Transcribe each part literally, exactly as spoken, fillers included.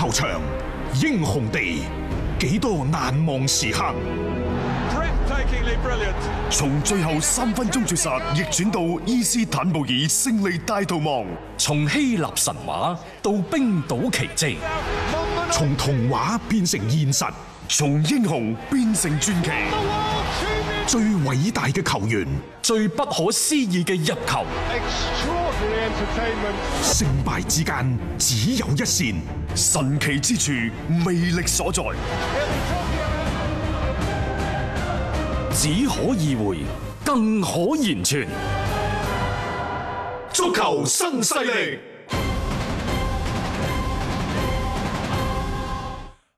球場，英雄地，幾多難忘時刻。從最後三分鐘絕殺逆轉到伊斯坦布爾勝利大逃亡，從希臘神話到冰島奇蹟，從童話變成現實，從英雄變成傳奇。最偉大嘅球員，最不可思議嘅入球，勝敗之間只有一線，神奇之處魅力所在。只可意會，更可言傳。足球新勢力。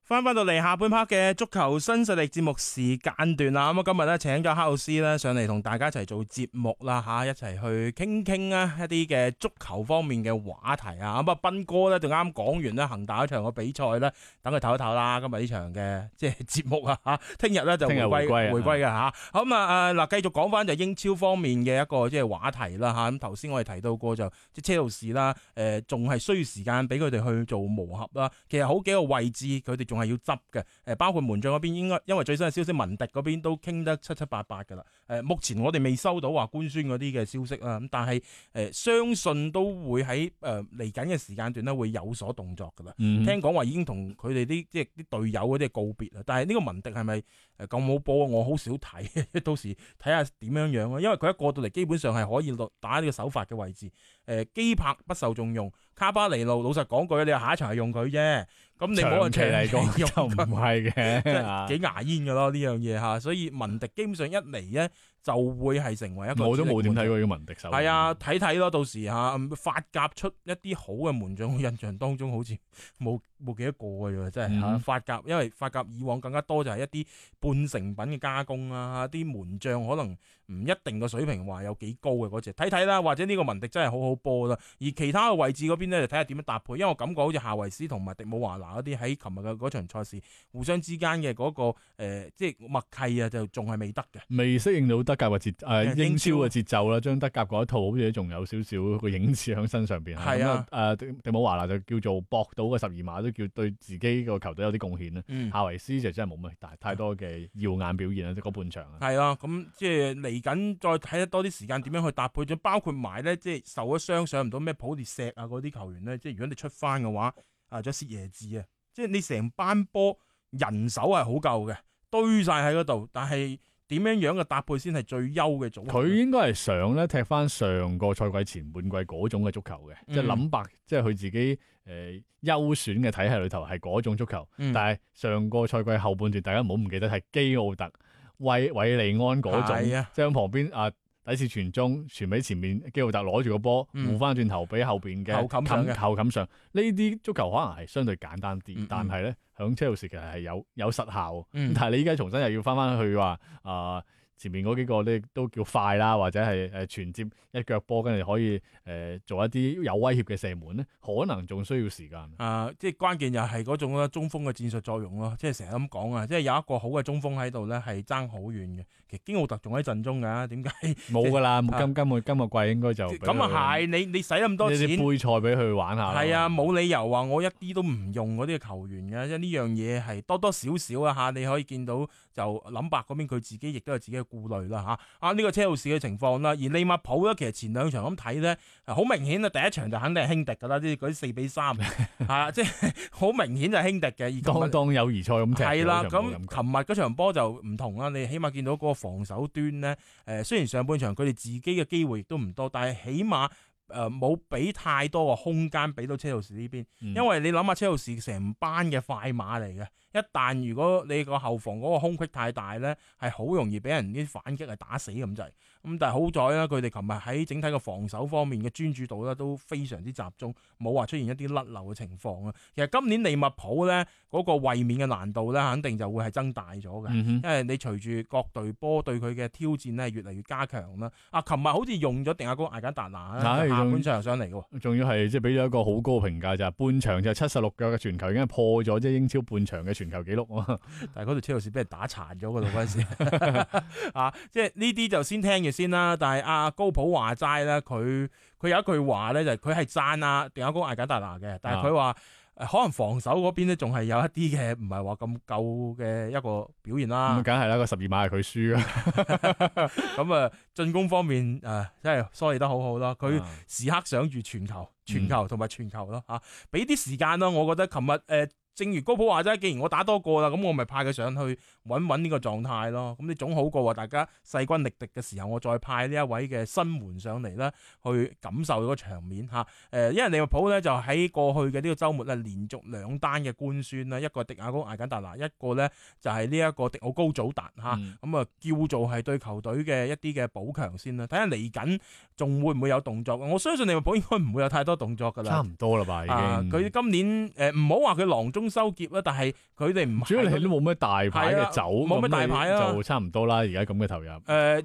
翻翻到嚟下半 part 嘅足球新勢力節目時間段啦，咁啊今日咧請咗克魯斯咧上嚟同大家一齊做節目啦吓，一齊去傾傾啊一啲嘅足球方面嘅話題啊，咁啊斌哥咧就啱講完咧恒大一場嘅比賽咧，等佢唞一唞啦，今日呢場嘅即係節目啊吓，聽日咧就回歸回歸嘅吓，咁啊誒嗱繼續講翻就英超方面嘅一個即係話題啦吓，咁頭先我哋提到過就即係車路士啦，誒仲係需要時間俾佢哋去做磨合啦，其實好幾個位置佢哋仲係要執嘅，誒包括門將嗰邊應該因為最新嘅消息，文迪嗰邊都傾得七七八八噶啦。誒目前我哋未收到話官宣嗰啲嘅消息啦，咁但係誒相信都會喺誒嚟緊嘅時間段咧會有所動作噶啦。嗯、聽講話已經同佢哋啲即係啲隊友嗰啲告別啦。但係呢個文迪係咪誒咁好波？我好少睇，到時睇下點樣樣啊。因為佢一過到嚟基本上係可以落打呢個首發嘅位置。誒基柏不受重用，卡巴尼路老實講句，你話下一場係用佢啫。咁你冇人長期嚟講就唔係嘅，即係幾牙煙㗎咯呢樣嘢嚇，所以文迪基本上一嚟咧就會係成為一個。我都冇點睇過呢個文迪手。係啊，睇睇咯，到時嚇法甲出一啲好嘅門將，我印象當中好似冇冇幾多個㗎啫，真係嚇、嗯、法甲，因為法甲以往更加多就係一啲半成品嘅加工啊，啲門將可能唔一定個水平話有幾高嘅嗰隻，睇睇啦，或者呢個文迪真係好好波啦，而其他嘅位置嗰邊咧就睇下點樣搭配，因為我感覺好似夏維斯同埋迪姆華拿嗰啲喺琴日嘅嗰場賽事互相之間嘅嗰、那個、呃、即係默契啊，就仲係未得嘅，未適應到德甲嘅節誒、呃、英超嘅節奏啦，將德甲嗰一套好似仲有少少個影子喺身上邊。係啊，誒、呃、迪姆華拿就叫做搏到個十二碼，都叫對自己個球隊有啲貢獻啦。嗯、夏維斯就真係冇乜大太多嘅耀眼表現啦，即係嗰半場啊。係啊，咁即係嚟緊再睇得多啲時間點樣去搭配咗，包括埋咧即係受咗傷上唔到咩普列石啊嗰啲球員咧，即係如果你出翻嘅話，啊仲有薛耶治啊。即係你成班波人手係好夠嘅，堆晒喺嗰度，但係點樣樣嘅搭配先係最優嘅組合？佢應該係想咧踢翻上個賽季前半季嗰種嘅足球嘅，嗯、即係諗白，即係佢自己誒優、呃、選嘅體系裏頭係嗰種足球。嗯、但係上個賽季後半段，大家唔好唔記得係基奧特、韋韋利安嗰種，啊、即係喺旁邊啊。第一次傳中傳俾前面基奧特攞住個波，護翻轉頭俾後邊嘅後冚上嘅後冚上，呢啲足球可能係相對簡單啲，嗯嗯但係咧響車路士其實係有有實效，嗯、但係你依家重新又要翻翻去話啊。呃前面嗰幾個咧都叫快啦，或者係誒傳接一腳波，跟住可以誒、呃、做一啲有威脅嘅射門咧，可能仲需要時間。啊、呃，即係關鍵又係嗰種中鋒嘅戰術作用咯，即係成日咁講啊，即係有一個好嘅中鋒喺度咧，係爭好遠嘅。其實基奧特仲喺陣中㗎，點解冇㗎啦？今今個今個季應該就咁啊係，你你使咁多錢，你啲杯賽俾佢玩下。係啊，冇理由話我一啲都唔用嗰啲球員嘅，即係呢樣嘢係多多少少啊嚇，你可以見到就諗白嗰邊佢自己亦都有自己嘅顧慮啦嚇，啊呢、這個車路士嘅情況啦，而利物浦咧其實前兩場咁睇咧，好明顯啊，第一場就肯定係輕敵噶啦，啲嗰啲四比三，係啊，即係好明顯就係輕敵嘅。當當友誼賽咁踢，係啦，咁琴日嗰場波就唔同啦，你起碼見到嗰個防守端咧，誒、呃、雖然上半場佢哋自己嘅機會亦都唔多，但係起碼誒冇俾太多嘅空間俾到車路士呢邊，嗯、因為你諗下車路士成班嘅快馬嚟嘅。一旦如果你個後防嗰個空隙太大咧，係好容易俾人啲反擊係打死咁滯。咁但係好在啦，佢哋琴日喺整體嘅防守方面嘅專注度咧都非常之集中，冇話出現一啲甩漏嘅情況啊。其實今年利物浦咧嗰、那個衛冕嘅難度咧，肯定就會係增大咗嘅，嗯、哼因為你隨住各隊波對佢嘅挑戰咧越嚟越加強啦。啊，琴日好似用咗定亞高艾簡達拿下半場上嚟嘅，仲要係即係俾咗一個好高嘅評價，就係半場就七十六腳嘅傳球已經係破咗即係英超半場嘅傳球紀錄。但係嗰條車路士俾人打殘咗嗰度嗰陣時啊，即係呢啲就先聽住先啦。但係阿高普話齋咧，佢佢有一句話咧，就係佢係讚啊定亞高艾簡達拿嘅，但係佢話呃、可能防守嗰邊咧仲係有一啲嘅唔係話咁夠嘅一個表現啦。咁梗係啦，個十二碼係佢輸啊。咁啊，進攻方面誒、呃、真係梳理得好好啦。佢時刻想住傳球、傳球同埋傳球咯嚇，俾啲時間咯。我覺得琴日誒。呃正如高普話齋，既然我打多個啦，咁我咪派佢上去穩穩呢個狀態咯。咁你總好過話大家勢均力敵嘅時候，我再派呢一位嘅新援上嚟咧，去感受嗰個場面嚇。誒，因為利物浦咧就喺過去嘅呢個週末咧，連續兩單嘅官宣啦，一個迪亞高艾簡達拿，一個咧就係呢一個迪奧高祖達嚇。咁啊、嗯、叫做係對球隊嘅一啲嘅補強先啦。睇下嚟緊仲會唔會有動作？我相信利物浦應該唔會有太多動作㗎啦。差唔多啦吧，已經。佢、啊、今年誒唔好話佢囊中收結啦，但係佢哋唔主要你都冇咩大牌嘅走，冇咩、啊、大牌啊，就差唔多啦。而家咁嘅投入，誒、呃，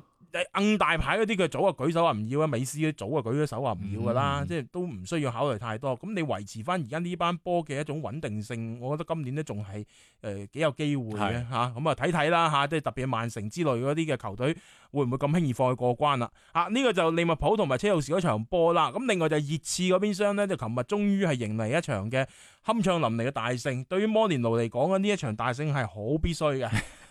硬大牌嗰啲佢早啊舉手話唔要啊，美斯早啊舉咗手話唔要噶啦，嗯、即係都唔需要考慮太多。咁你維持翻而家呢班波嘅一種穩定性，我覺得今年咧仲係誒幾有機會嘅吓。咁啊睇睇啦吓，即係特別係曼城之類嗰啲嘅球隊會唔會咁輕易放佢過關啦？啊，呢、這個就利物浦同埋車路士嗰場波啦。咁另外就係熱刺嗰邊廂咧，就琴日終於係迎嚟一場嘅酣暢淋漓嘅大勝。對於摩連奴嚟講呢一場大勝係好必須嘅，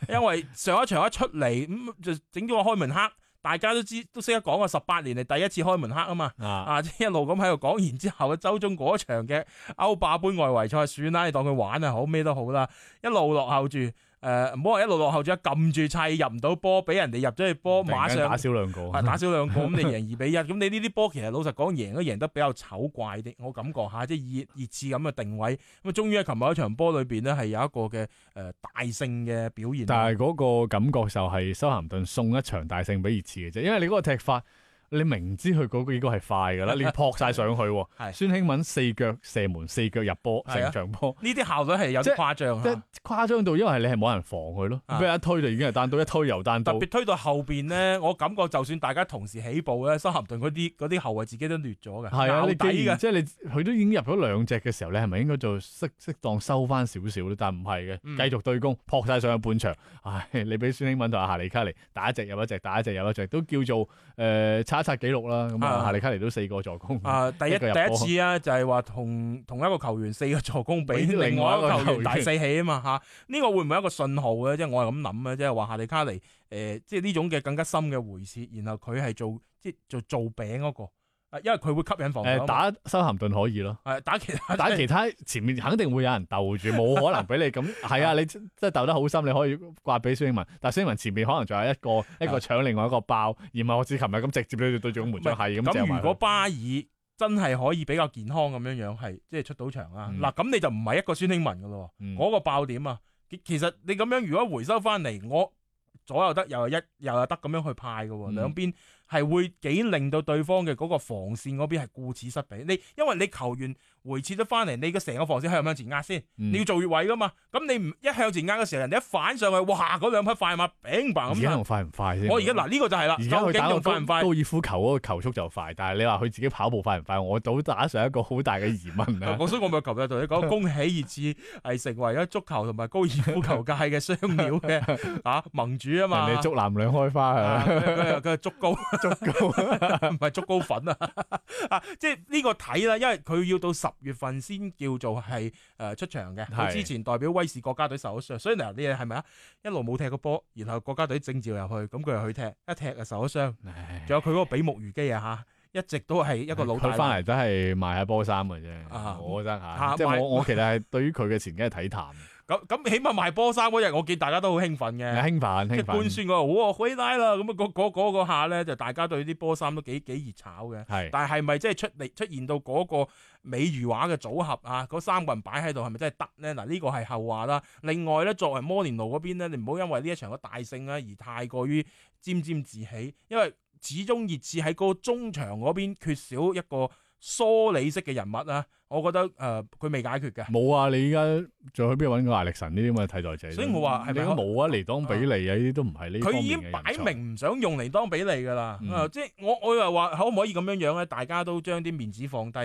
因為上一場一出嚟咁、嗯、就整咗個開門黑。大家都知都識得講啊，十八年嚟第一次開門黑啊嘛，啊即係一路咁喺度講，然之後周中嗰場嘅歐霸盃外圍賽算啦，你當佢玩啊好咩都好啦，一路落後住。誒，唔好話一路落後咗，撳住砌入唔到波，俾人哋入咗去波，馬上打少兩個，打少兩個，咁你贏二比一，咁你呢啲波其實老實講贏都贏得比較醜怪啲，我感覺下，即係熱熱刺咁嘅定位，咁啊終於喺琴日嗰場波裏邊呢，係有一個嘅誒、呃、大勝嘅表現。但係嗰個感覺就係修咸頓送一場大勝俾熱刺嘅啫，因為你嗰個踢法。你明知佢嗰個應該係快噶啦，你撲晒上去，孫興慜四腳射門，四腳入波，成場波，呢啲效率係有啲誇張，即係誇張到，因為你係冇人防佢咯，俾一推就已經係單刀，一推又單刀。特別推到後邊呢，我感覺就算大家同時起步咧，修咸頓嗰啲嗰啲後衛自己都劣咗嘅，係啊，你既然即係你佢都已經入咗兩隻嘅時候，你係咪應該做適適當收翻少少咧？但係唔係嘅，繼續對攻，撲晒上去半場。唉，你俾孫興慜同阿夏利卡尼打一隻入一隻，打一隻入一隻，都叫做誒刷一刷紀錄啦。咁啊，夏利卡尼都四個助攻。啊，第一一第一次啊，就係話同同一個球員四個助攻俾另外一個球員大四喜啊嘛嚇。呢個會唔會一個信號咧？即係我係咁諗啊，即係話夏利卡尼誒，即係呢種嘅更加深嘅回撤，然後佢係做即係做做餅嗰個。因為佢會吸引防守。誒，打修咸頓可以咯。係打其他，打其他前面肯定會有人鬥住，冇可能俾你咁。係啊，你即係鬥得好深，你可以掛俾孫興慜。但係孫興慜前面可能仲有一個一個搶另外一個爆，而唔係我似琴日咁直接對對住個門將係咁。咁如果巴爾真係可以比較健康咁樣樣，係即係出到場啦。嗱、嗯，咁你就唔係一個孫興慜噶咯。嗰、嗯、個爆點啊，其實你咁樣如果回收翻嚟，我左右得又係一又係得咁樣去派噶，兩邊。係會幾令到對方嘅嗰個防線嗰邊係顧此失彼。你因為你球員回撤咗翻嚟，你嘅成個防線向唔向前壓先？嗯、你要做越位噶嘛？咁你唔一向前壓嘅時候，人哋一反上去，哇！嗰兩匹快馬砰砰咁。而家仲快唔快先？我而家嗱呢個就係啦。而家佢打到快唔快？高爾夫球嗰個球速就快，但係你話佢自己跑步快唔快？我都打上一個好大嘅疑問啊！所以我咪琴日同你講，恭喜熱刺係成為咗足球同埋高爾夫球界嘅雙料嘅啊盟主啊嘛！人哋竹籃兩開花啊！佢佢竹高竹高。唔係足高粉啊！啊，即係呢個睇啦，因為佢要到十月份先叫做係誒出場嘅。佢之前代表威士國家隊受咗傷，所以嗱，你係咪啊？一路冇踢過波，然後國家隊徵召入去，咁佢又去踢，一踢就受咗傷。仲有佢嗰個比目魚肌啊嚇，一直都係一個老大。佢翻嚟都係賣下波衫嘅啫，啊、我覺得嚇。啊、即係我我其實係對於佢嘅前景係睇淡。咁咁起碼賣波衫嗰日，我見大家都好興奮嘅，興奮，即係官宣嗰個，哇，可以拉啦！咁啊，嗰嗰嗰個下咧，就大家對啲波衫都幾幾熱炒嘅。係，但係係咪即係出嚟出現到嗰個美如畫嘅組合啊？嗰三個人擺喺度，係咪真係得咧？嗱，呢個係後話啦。另外咧，作為摩連奴嗰邊咧，你唔好因為呢一場嘅大勝咧而太過於沾沾自喜，因為始終熱刺喺嗰個中場嗰邊缺少一個梳理式嘅人物啊。我覺得誒，佢、呃、未解決嘅。冇啊！你依家仲去邊度揾個艾力神呢啲咁嘅替代者？所以我話係咪冇啊？尼當比利啊，呢啲都唔係呢。佢已經擺明唔想用尼當比利噶啦。嗯呃、即係我我又話可唔可以咁樣樣咧？大家都將啲面子放低，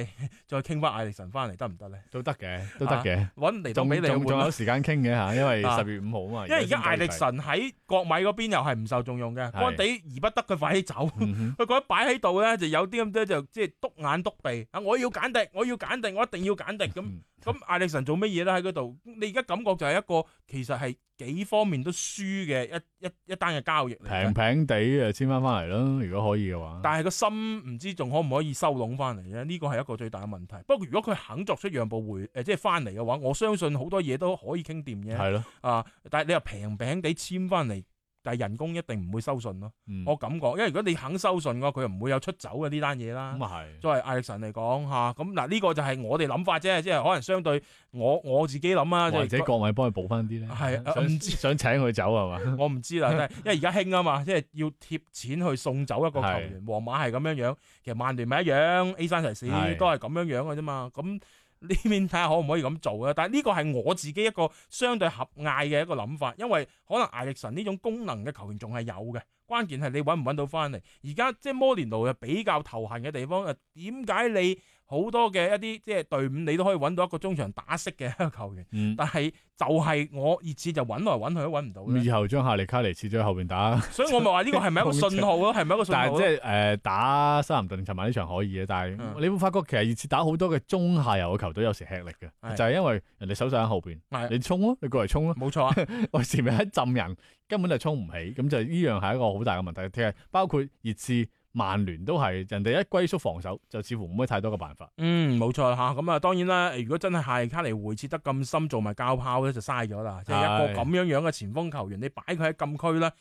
再傾翻艾力神翻嚟得唔得咧？都得嘅，都得嘅。揾、啊、尼當比利仲仲有時間傾嘅嚇，因為十月五號啊嘛。因為而家艾力神喺國米嗰邊又係唔受重用嘅，干地而不得佢快啲走。佢覺得擺喺度咧就有啲咁多就即係篤眼篤鼻啊！我要揀敵，我要揀敵，力，我一定要簡迪咁。咁艾力神做乜嘢咧喺嗰度？你而家感覺就係一個其實係幾方面都輸嘅一一一單嘅交易嚟嘅。平平地誒簽翻翻嚟咯，如果可以嘅話。但係個心唔知仲可唔可以收攏翻嚟咧？呢個係一個最大嘅問題。不過如果佢肯作出讓步回誒，即係翻嚟嘅話，我相信好多嘢都可以傾掂嘅。係咯。啊，但係你又平平地簽翻嚟。但係人工一定唔會收順咯，嗯、我感覺，因為如果你肯收順嘅話，佢又唔會有出走嘅呢單嘢啦。咁啊係，作為艾力神嚟講嚇，咁嗱呢個就係我哋諗法啫，即係可能相對我我自己諗啊，或者國米幫佢補翻啲咧。係唔、啊、知想請佢走係嘛？我唔知啦，因為而家興啊嘛，即係要貼錢去送走一個球員。皇馬係咁樣樣，其實曼聯咪一樣 ，A 三齊士都係咁樣樣嘅啫嘛，咁。呢邊睇下可唔可以咁做啊？但係呢個係我自己一個相對狹隘嘅一個諗法，因為可能艾力神呢種功能嘅球員仲係有嘅，關鍵係你揾唔揾到翻嚟。而家即係摩連奴又比較頭痕嘅地方，誒點解你好多嘅一啲即係隊伍你都可以揾到一個中場打識嘅一個球員，嗯、但係就係我熱刺就揾來揾去都揾唔到。以後將夏利卡尼切咗喺後邊打，所以我咪話呢個係咪一個信號咯？係咪一個信號？但係即係誒打修咸頓尋晚呢場可以嘅，但係、嗯、你會發覺其實熱刺打好多嘅中下游嘅球隊有時吃力嘅，的就係因為人哋手上喺後邊，的你衝咯，你過嚟衝咯，冇錯啊！我前面一浸人根本就衝唔起，咁就呢樣係一個好大嘅問題。其實包括熱刺。曼聯都係人哋一龜縮防守，就似乎冇乜太多嘅辦法。嗯，冇錯吓，咁啊，當然啦，如果真係夏利卡尼回撤得咁深，做埋膠炮咧，就嘥咗啦。即係一個咁樣樣嘅前鋒球員，你擺佢喺禁區咧。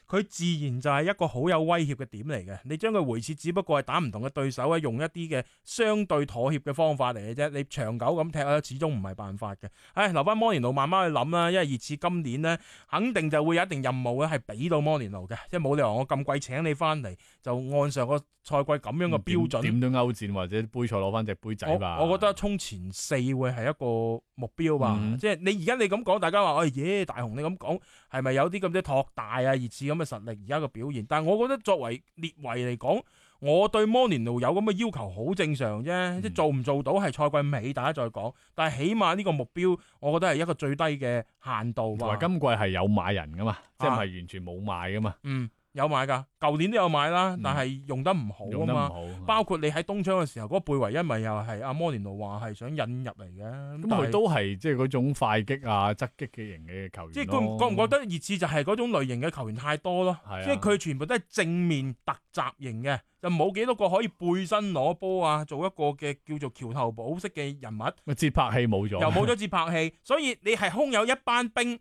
佢自然就係一個好有威脅嘅點嚟嘅，你將佢回撤，只不過係打唔同嘅對手咧，用一啲嘅相對妥協嘅方法嚟嘅啫。你長久咁踢咧，始終唔係辦法嘅。唉，留翻摩連奴慢慢去諗啦，因為熱刺今年呢，肯定就會有一定任務咧，係俾到摩連奴嘅，即係冇理由我咁貴請你翻嚟，就按上個賽季咁樣嘅標準，點都歐戰或者杯賽攞翻隻杯仔吧。我，我覺得衝前四會係一個目標吧。嗯、即係你而家你咁講，大家話，哎耶，大雄你咁講係咪有啲咁多托大啊？熱刺咁嘅實力而家嘅表現，但係我覺得作為列維嚟講，我對摩連奴有咁嘅要求好正常啫。嗯、即係做唔做到係賽季尾大家再講，但係起碼呢個目標，我覺得係一個最低嘅限度。同埋今季係有買人噶嘛，啊、即係唔係完全冇買噶嘛。嗯。有買㗎，舊年都有買啦，但係用得唔好啊嘛。嗯、包括你喺冬窗嘅時候，嗰、嗰個貝維恩咪又係阿摩連奴話係想引入嚟嘅。咁佢都係即係嗰種快擊啊、側擊嘅型嘅球員。即係覺覺唔覺得熱刺就係嗰種類型嘅球員太多咯？啊、即係佢全部都係正面突襲型嘅，就冇幾多個可以背身攞波啊，做一個嘅叫做橋頭堡式嘅人物。個節拍器冇咗，又冇咗節拍器，所以你係空有一班兵。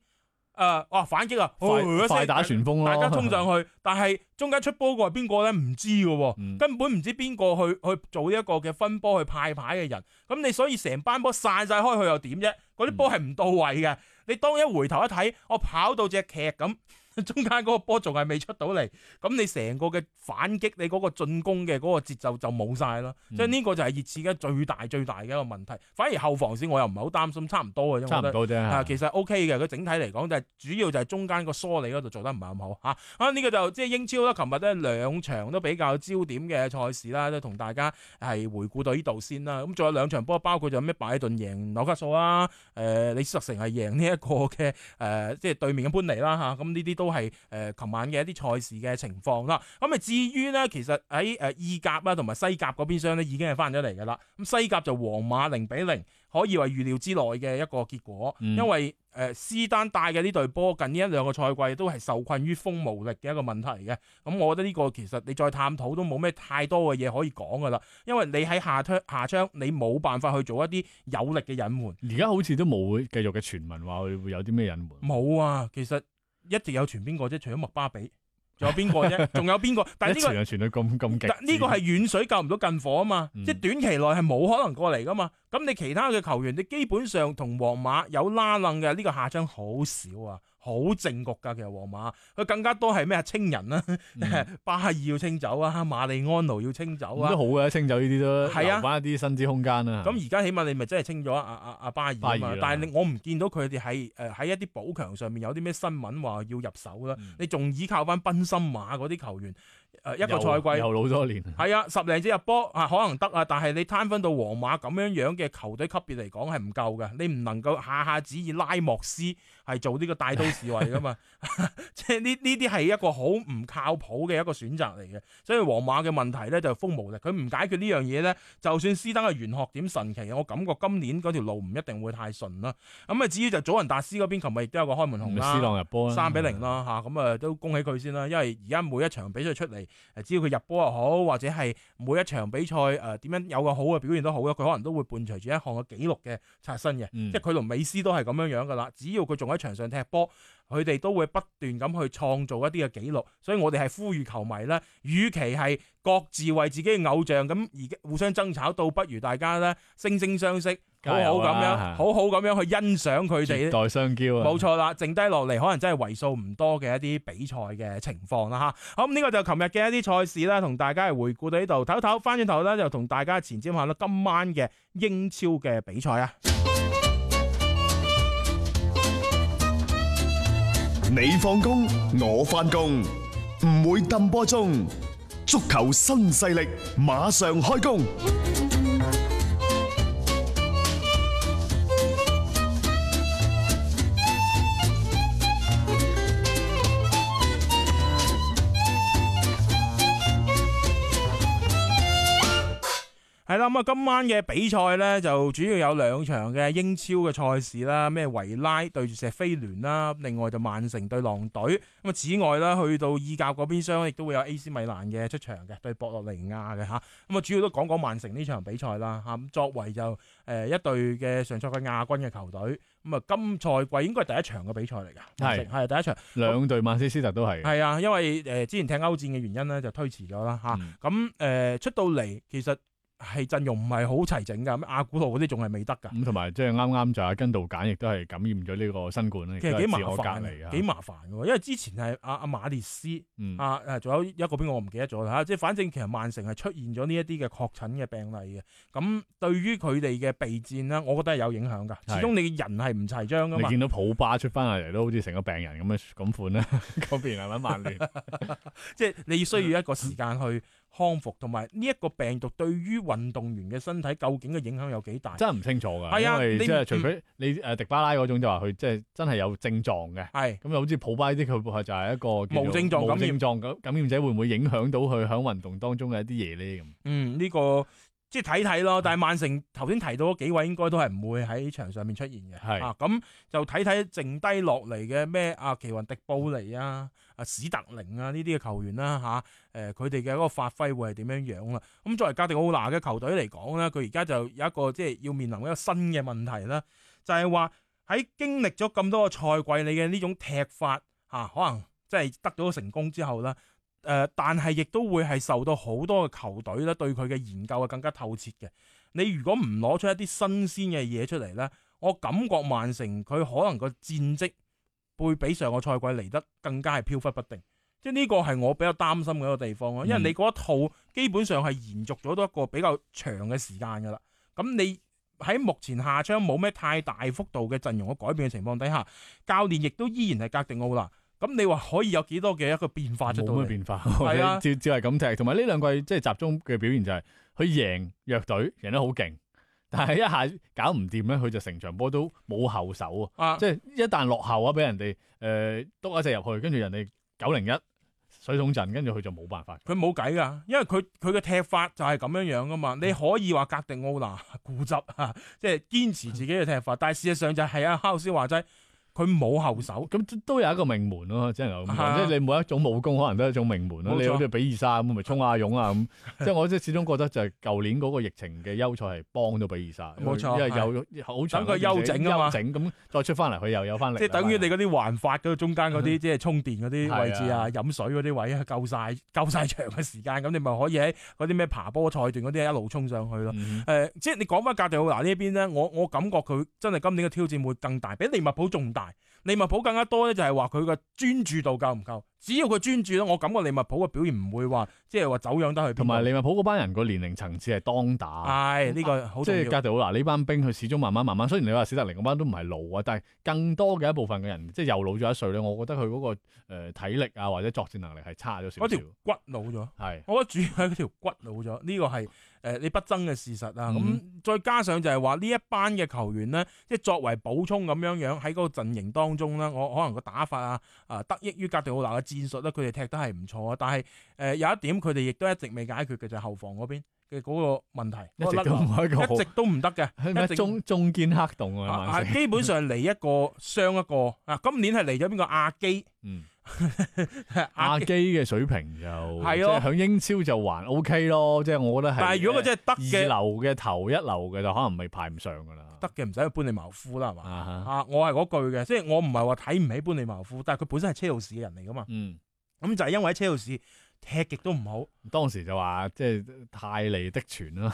誒，哇、呃！反擊啊，快，呃、快打旋風咯，大家衝上去，但係中間出波個係邊個咧？唔知嘅，嗯、根本唔知邊個去去做呢一個嘅分波去派牌嘅人。咁你所以成班波散晒開去又點啫？嗰啲波係唔到位嘅。你當一回頭一睇，我跑到隻劇咁。中間嗰個波仲係未出到嚟，咁你成個嘅反擊，你嗰個進攻嘅嗰個節奏就冇晒咯。即係呢個就係熱刺嘅最大最大嘅一個問題。反而後防線我又唔係好擔心，差唔多嘅啫。差唔多啫。啊，其實 O K 嘅，佢整體嚟講就係主要就係中間個梳理嗰度做得唔係咁好嚇。啊，呢、這個就即係英超啦，琴日咧兩場都比較焦點嘅賽事啦，都同大家係回顧到呢度先啦。咁仲有兩場波，包括就咩拜頓贏紐卡素啦，誒、呃、李斯特城係贏呢一個嘅誒、呃、即係對面嘅般尼啦嚇。咁呢啲都係誒琴晚嘅一啲賽事嘅情況啦。咁啊至於咧，其實喺誒意甲啦同埋西甲嗰邊廂咧已經係翻咗嚟㗎啦。咁西甲就皇馬零比零，可以話預料之內嘅一個結果，嗯、因為誒、呃、斯丹帶嘅呢隊波近呢一兩個賽季都係受困於風無力嘅一個問題嘅。咁我覺得呢個其實你再探討都冇咩太多嘅嘢可以講㗎啦，因為你喺下窗下窗你冇辦法去做一啲有力嘅隱瞞。而家好似都冇繼續嘅傳聞話會會有啲咩隱瞞。冇啊，其實一直有傳邊個啫，除咗麥巴比。仲有邊個啫？仲有邊個？但係呢、這個傳就傳到咁咁極，呢個係遠水救唔到近火啊嘛！嗯、即係短期內係冇可能過嚟噶嘛。咁你其他嘅球員，你基本上同皇馬有拉楞嘅呢個下窗好少啊，好正局噶。其實皇馬佢更加多係咩啊？清人啦、啊，嗯、巴爾要清走啊，馬利安奴要清走啊，都好嘅，清走呢啲都係啊，留翻一啲薪資空間啊。咁而家起碼你咪真係清咗阿阿阿巴爾啊嘛，但係我唔見到佢哋係誒喺一啲補強上面有啲咩新聞話要入手啦。嗯、你仲依靠翻賓森馬嗰啲球員，誒一個賽季又老咗年，係啊，十零隻入波啊，可能得啊，但係你攤分到皇馬咁樣樣嘅球隊級別嚟講係唔夠嘅，你唔能夠下下只以拉莫斯係做呢個帶刀侍衛噶嘛，即係呢呢啲係一個好唔靠譜嘅一個選擇嚟嘅，所以皇馬嘅問題咧就風無力，佢唔解決呢樣嘢咧，就算斯登嘅玄學點神奇，我感覺今年嗰條路唔一定會太順啦。咁啊，至於就祖雲達斯嗰邊，琴日亦都有個開門紅啦，斯朗入波啦，三比零啦嚇，咁啊都恭喜佢先啦，因為而家每一場比賽出嚟，誒只要佢入波又好，或者係每一場比賽誒點樣有個好嘅表現都好啦，佢可能都會伴隨住一項嘅紀錄嘅刷新嘅，嗯、即係佢同美斯都係咁樣樣噶啦。只要佢仲喺場上踢波，佢哋都會不斷咁去創造一啲嘅紀錄。所以我哋係呼籲球迷咧，與其係各自為自己嘅偶像咁而互相爭吵，倒不如大家咧惺惺相惜。好好咁樣，好好咁樣去欣賞佢哋，絕代雙驕啊！冇錯啦，剩低落嚟可能真係為數唔多嘅一啲比賽嘅情況啦吓。好，咁呢個就琴日嘅一啲賽事啦，同大家係回顧到呢度，唞唞翻轉頭咧就同大家前瞻下啦今晚嘅英超嘅比賽啊！你放工，我翻工，唔會抌波鐘。足球新勢力馬上開工。係啦，咁啊，今晚嘅比賽咧就主要有兩場嘅英超嘅賽事啦，咩維拉對住錫菲聯啦，另外就曼城對狼隊。咁啊，此外啦，去到意甲嗰邊廂亦都會有 A C 米蘭嘅出場嘅對博洛尼亞嘅吓。咁啊，主要都講講曼城呢場比賽啦吓。咁作為就誒一隊嘅上賽季亞軍嘅球隊，咁啊今賽季應該係第一場嘅比賽嚟㗎，係係第一場。兩隊曼徹斯特都係。係啊，因為誒之前踢歐戰嘅原因咧就推遲咗啦吓。咁誒、嗯、出到嚟其實。係陣容唔係好齊整噶，咁阿古路嗰啲仲係未得噶。咁同埋即係啱啱就阿根道簡亦都係感染咗呢個新冠咧，其實幾麻煩嚟，幾麻煩嘅。因為之前係阿阿馬列斯，嗯、啊誒，仲有一個邊個我唔記得咗啦吓。即係反正其實曼城係出現咗呢一啲嘅確診嘅病例嘅。咁對於佢哋嘅備戰呢，我覺得係有影響噶。始終你嘅人係唔齊張噶嘛。你見到普巴出翻嚟都好似成個病人咁樣咁款啦，嗰邊係咪曼聯？即係你需要一個時間去康復，同埋呢一個病毒對於運動員嘅身體究竟嘅影響有幾大？真係唔清楚㗎。係啊，因為即係除非你誒、嗯、迪巴拉嗰種就話佢即係真係有症狀嘅。係咁又好似普巴呢啲佢就係一個無症狀感染。無症狀感感染者會唔會影響到佢喺運動當中嘅一啲嘢咧？咁嗯，呢、呢個即係睇睇咯。但係曼城頭先提到嗰幾位應該都係唔會喺場上面出現嘅。係啊，咁就睇睇剩低落嚟嘅咩阿奇雲迪布尼啊。啊史特靈啊呢啲嘅球員啦嚇，誒佢哋嘅嗰個發揮會係點樣樣啦？咁作為格迪奧拿嘅球隊嚟講咧，佢而家就有一個即係要面臨一個新嘅問題啦，就係話喺經歷咗咁多個賽季，你嘅呢種踢法嚇、啊，可能即係得到成功之後啦，誒、呃，但係亦都會係受到好多嘅球隊咧對佢嘅研究係更加透徹嘅。你如果唔攞出一啲新鮮嘅嘢出嚟咧，我感覺曼城佢可能個戰績會比上個賽季嚟得更加係飄忽不定，即係呢個係我比較擔心嘅一個地方咯。因為你嗰一套基本上係延續咗多一個比較長嘅時間噶啦。咁你喺目前夏窗冇咩太大幅度嘅陣容嘅改變嘅情況底下，教練亦都依然係格迪奧拿。咁你話可以有幾多嘅一個變化出到嚟？冇咩變化，係啊，照照係咁踢。同埋呢兩季即係集中嘅表現就係佢贏弱隊贏得好勁。但係一下搞唔掂咧，佢就成場波都冇後手啊！即係一旦落後啊，俾人哋誒篤一隻入去，跟住人哋九零一水桶陣，跟住佢就冇辦法。佢冇計噶，因為佢佢嘅踢法就係咁樣樣噶嘛。你可以話格迪奧拿固執啊，即係堅持自己嘅踢法，但係事實上就係阿哈斯話齋。佢冇後手，咁都有一個命門咯，只能夠咁講。即係你每一種武功可能都係一種命門咯。你好似比爾沙咁，咪衝下勇啊咁。即係我即係始終覺得就係舊年嗰個疫情嘅優賽係幫到比爾沙。冇錯，因為有好長等佢休整啊嘛，休整咁再出翻嚟，佢又有翻力。即係等於你嗰啲環法嗰中間嗰啲，即係充電嗰啲位置啊、飲水嗰啲位啊，夠晒夠晒長嘅時間，咁你咪可以喺嗰啲咩爬坡賽段嗰啲一路衝上去咯。誒、呃，即係你講翻格迪奧拿呢邊咧，我我感覺佢真係今年嘅挑戰會更大，比利物浦仲大。大。利物浦更加多咧，就係話佢個專注度夠唔夠？只要佢專注咧，我感覺利物浦嘅表現唔會話即係話走樣得去邊。同埋利物浦嗰班人個年齡層次係當打，係呢、這個好即重要。係哥迪奧拿呢班兵，佢始終慢慢慢慢。雖然你話史特靈嗰班都唔係老啊，但係更多嘅一部分嘅人，即係又老咗一歲咧。我覺得佢嗰、那個誒、呃、體力啊，或者作戰能力係差咗少少。嗰條骨老咗，係我覺得主要係嗰條骨老咗，呢、這個係誒、呃、你不爭嘅事實啊。咁、嗯、再加上就係話呢一班嘅球員咧，即係作為補充咁樣樣喺嗰個陣營當中咧，我可能個打法啊啊得益於哥迪奧拿嘅戰術咧，佢哋踢得係唔錯啊。但係誒、呃、有一點佢哋亦都一直未解決嘅就係、是、後防嗰邊嘅嗰個問題，一直都唔係一個好一直都唔得嘅，一直中中堅黑洞啊！啊基本上嚟一個傷一個啊，今年係嚟咗邊個亞基？嗯。阿基嘅水平就係咯，即係響英超就還 O K 咯，即係我覺得係。但係如果佢真係得嘅，二流嘅頭一流嘅就可能未排唔上噶啦。得嘅唔使去般尼茅夫啦，係嘛？啊，啊，我係嗰句嘅，即係我唔係話睇唔起般尼茅夫，但係佢本身係車路士嘅人嚟噶嘛。嗯，咁就係因為喺車路士踢極都唔好，當時就話即係泰利的傳啦，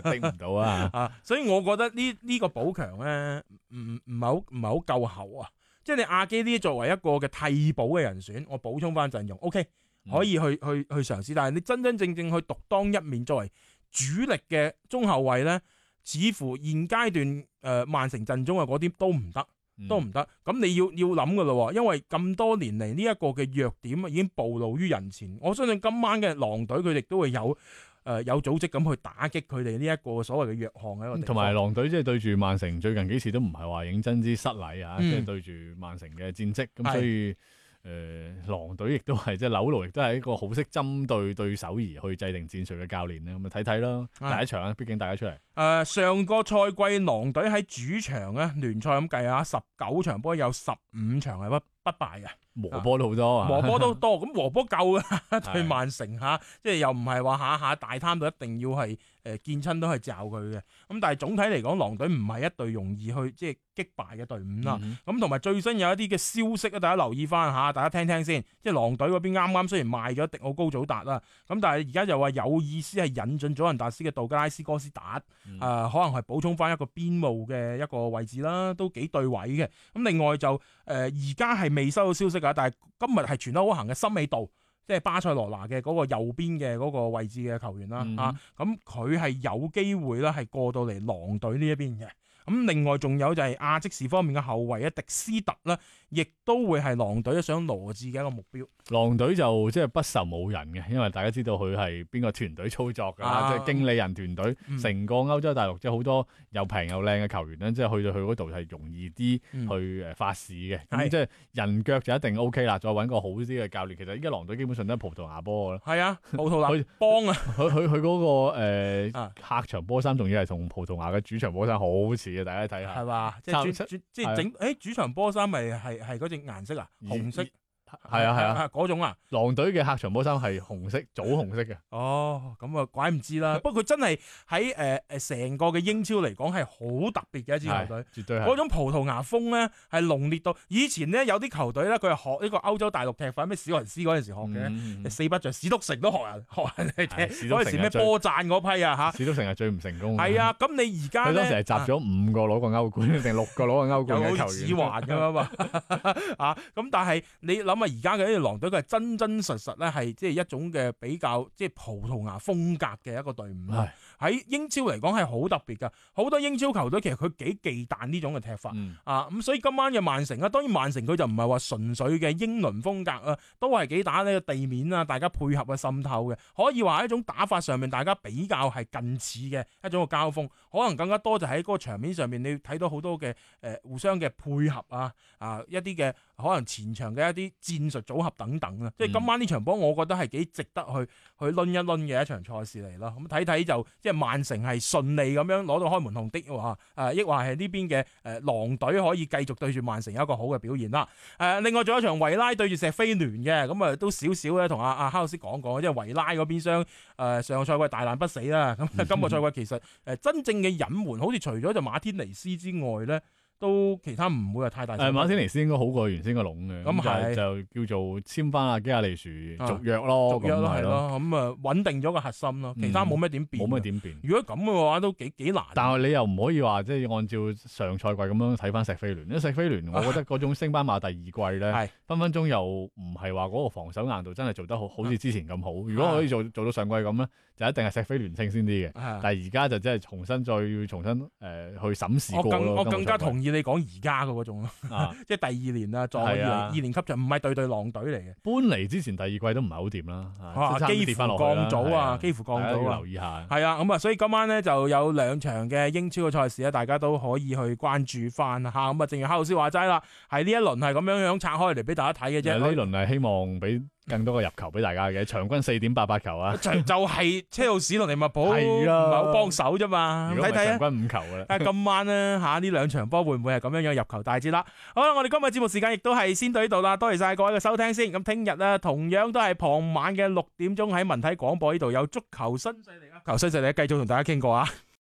頂唔到啊。啊，所以我覺得呢呢個補強咧，唔唔係好唔係好夠厚啊。即係你亞基呢作為一個嘅替補嘅人選，我補充翻陣容 ，OK 可以去、嗯、去去嘗試。但係你真真正正去獨當一面作為主力嘅中後衛咧，似乎現階段誒、呃、曼城陣中嘅嗰啲都唔得，都唔得。咁、嗯、你要要諗噶咯，因為咁多年嚟呢一個嘅弱點已經暴露於人前。我相信今晚嘅狼隊佢哋都會有。誒、呃、有組織咁去打擊佢哋呢一個所謂嘅弱項嘅一個地方。同埋狼隊即係對住曼城最近幾次都唔係話認真之失禮啊，即係、嗯、對住曼城嘅戰績咁，所以誒、呃、狼隊亦都係即係紐奴亦都係一個好識針對對手而去制定戰術嘅教練咧，咁咪睇睇咯。第一場啊，畢竟大家出嚟。誒、呃、上個賽季狼隊喺主場咧聯賽咁計下，十九場波有十五場係不不敗嘅。和波都好多啊，和波都多，咁和波夠嘅對曼城嚇，即係又唔係話下下大貪到一定要係誒見親都係罩佢嘅，咁但係總體嚟講，狼隊唔係一隊容易去即係擊敗嘅隊伍啦。咁同埋最新有一啲嘅消息啊，大家留意翻嚇，大家聽聽先。即係狼隊嗰邊啱啱雖然賣咗迪奧高祖達啦，咁但係而家又話有意思係引進祖雲達斯嘅道格拉斯哥斯達，誒、嗯呃、可能係補充翻一個邊路嘅一個位置啦，都幾對位嘅。咁另外就誒而家係未收到消息。但係今日係傳得好行嘅森美度，即係巴塞羅那嘅嗰個右邊嘅嗰個位置嘅球員啦，嗯、啊，咁佢係有機會啦，係過到嚟狼隊呢一邊嘅。咁另外仲有就係亞積士方面嘅後衛啊，迪斯特啦，亦都會係狼隊想羅致嘅一個目標。狼隊就即係不愁冇人嘅，因為大家知道佢係邊個團隊操作㗎，啊、即係經理人團隊，成、嗯、個歐洲大陸即係好多又平又靚嘅球員咧，即係去到去嗰度係容易啲去誒發市嘅。咁、嗯、即係人腳就一定 O K 啦，再揾個好啲嘅教練。其實依家狼隊基本上都係葡萄牙波㗎啦。係啊，葡萄牙幫啊！佢佢佢嗰個、呃啊、客場波衫仲要係同葡萄牙嘅主場波衫好似。大家睇下，係嘛？即係即係整，誒主場波衫咪係係嗰隻顏色啊，紅色。係啊係啊，嗰種啊，狼隊嘅客場波衫係紅色，棗紅色嘅。哦，咁啊，怪唔知啦。不過佢真係喺誒誒成個嘅英超嚟講係好特別嘅一支球隊，絕對係。嗰種葡萄牙風咧係濃烈到，以前咧有啲球隊咧佢係學呢個歐洲大陸踢法，咩史雲斯嗰陣時學嘅，嗯嗯、四不像史篤城都學人學人嚟踢，嗰陣時咩波贊嗰批啊嚇。史篤城係最唔成功。係啊，咁你而家咧，佢當時係集咗五個攞過歐冠定六個攞過歐冠嘅球員，有指環咁嘛啊！咁但係你諗下而家嘅呢個狼隊佢係真真實實咧係即係一種嘅比較即係葡萄牙風格嘅一個隊伍，喺英超嚟講係好特別噶。好多英超球隊其實佢幾忌憚呢種嘅踢法、嗯、啊，咁所以今晚嘅曼城啊，當然曼城佢就唔係話純粹嘅英倫風格啊，都係幾打呢個地面啊，大家配合啊滲透嘅，可以話係一種打法上面大家比較係近似嘅一種嘅交鋒，可能更加多就喺嗰個場面上面你睇到好多嘅誒、呃、互相嘅配合啊啊一啲嘅可能前場嘅一啲戰術組合等等啊，即係今晚呢場波我覺得係幾值得去去掄一掄嘅一場賽事嚟咯。咁睇睇就即係曼城係順利咁樣攞到開門紅的話，誒亦話係呢邊嘅誒狼隊可以繼續對住曼城有一個好嘅表現啦。誒、呃、另外仲有一場維拉對住錫菲聯嘅，咁啊都少少咧同阿阿哈老師講講，即係維拉嗰邊廂誒上個賽季大難不死啦，咁今個賽季其實誒真正嘅隱瞞，好似除咗就馬天尼斯之外咧。都其他唔會話太大。誒馬天尼斯應該好過原先個籠嘅，咁係就叫做簽翻阿基亞利殊續約咯，續約咯係咯，咁啊穩定咗個核心咯，其他冇咩點變，冇咩點變。如果咁嘅話都幾幾難。但係你又唔可以話即係按照上賽季咁樣睇翻錫菲聯，因為錫菲聯我覺得嗰種升班馬第二季咧，分分鐘又唔係話嗰個防守硬度真係做得好好似之前咁好。如果可以做做到上季咁咧，就一定係錫菲聯勝先啲嘅。但係而家就真係重新再要重新誒、呃、去審視過咯。我更我更加同意你講而家嘅嗰種咯，啊、即係第二年啦，再二年二年級就唔係對對狼隊嚟嘅。搬嚟之前第二季都唔係好掂啦，啊、幾乎降組啊，幾乎降組啊，留意下。係啊，咁啊，所以今晚咧就有兩場嘅英超嘅賽事咧，大家都可以去關注翻嚇。咁啊，正如哈老師話齋啦，係呢一輪係咁樣樣拆開嚟俾大家睇嘅啫。呢輪係希望俾更多嘅入球俾大家嘅，場均四點八八球啊！就就係車路士同利物浦唔係好幫手啫嘛，睇睇啊！場均五球嘅啦。但係今晚咧嚇呢兩場波會唔會係咁樣樣入球大戰啦？好啦，我哋今日節目時間亦都係先到呢度啦，多謝晒各位嘅收聽先。咁聽日咧同樣都係傍晚嘅六點鐘喺文體廣播呢度有足球新勢力啊！球新勢力繼續同大家傾過啊！